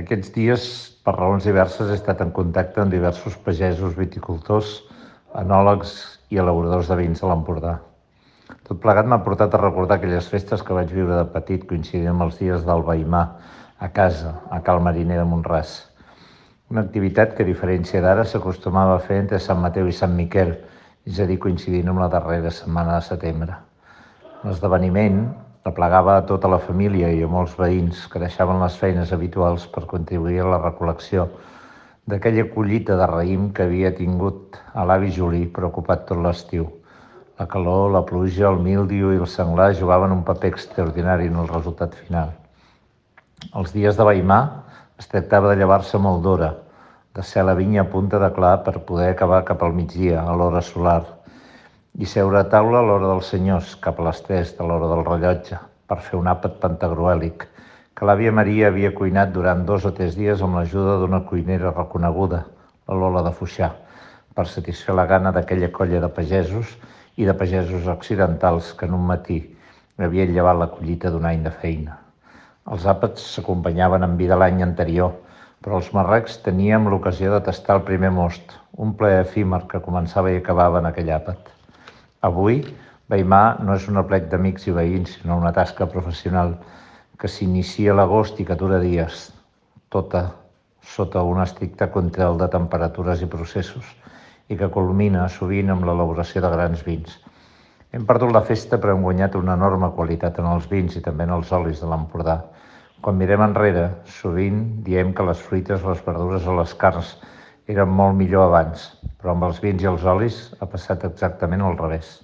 Aquests dies, per raons diverses, he estat en contacte amb diversos pagesos, viticultors, enòlegs i elaboradors de vins de l'Empordà. Tot plegat m'ha portat a recordar aquelles festes que vaig viure de petit coincidint amb els dies del Veïmar, a casa, a Cal Mariner de Mont-ras. Una activitat que, a diferència d'ara, s'acostumava a fer entre Sant Mateu i Sant Miquel, és a dir, coincidint amb la darrera setmana de setembre. L'esdeveniment aplegava a tota la família i a molts veïns que deixaven les feines habituals per contribuir a la recol·lecció d'aquella collita de raïm que havia tingut a l'avi Juli preocupat tot l'estiu. La calor, la pluja, el míldiu i el senglar jugaven un paper extraordinari en el resultat final. Els dies de Veïmar es tractava de llevar-se molt d'hora, de ser a la vinya a punta de clar per poder acabar cap al migdia, a l'hora solar, i seure a taula a l'hora dels senyors, cap a les 3 de l'hora del rellotge, per fer un àpat pantagruèlic, que l'àvia Maria havia cuinat durant 2 o 3 dies amb l'ajuda d'una cuinera reconeguda, la Lola de Foixà, per satisfer la gana d'aquella colla de pagesos i de pagesos occidentals que en un matí havien llevat la collita d'un any de feina. Els àpats s'acompanyaven amb vi de l'any anterior, però els marrecs teníem l'ocasió de tastar el primer most, un plaer efímer que començava i acabava en aquell àpat. Avui, Veïmar no és un aplec d'amics i veïns, sinó una tasca professional que s'inicia a l'agost i que dura dies, tota sota un estricte control de temperatures i processos, i que culmina sovint amb l'elaboració de grans vins. Hem perdut la festa però hem guanyat una enorme qualitat en els vins i també en els olis de l'Empordà. Quan mirem enrere, sovint diem que les fruites, les verdures o les carns eren molt millor abans, però amb els vins i els olis ha passat exactament al revés.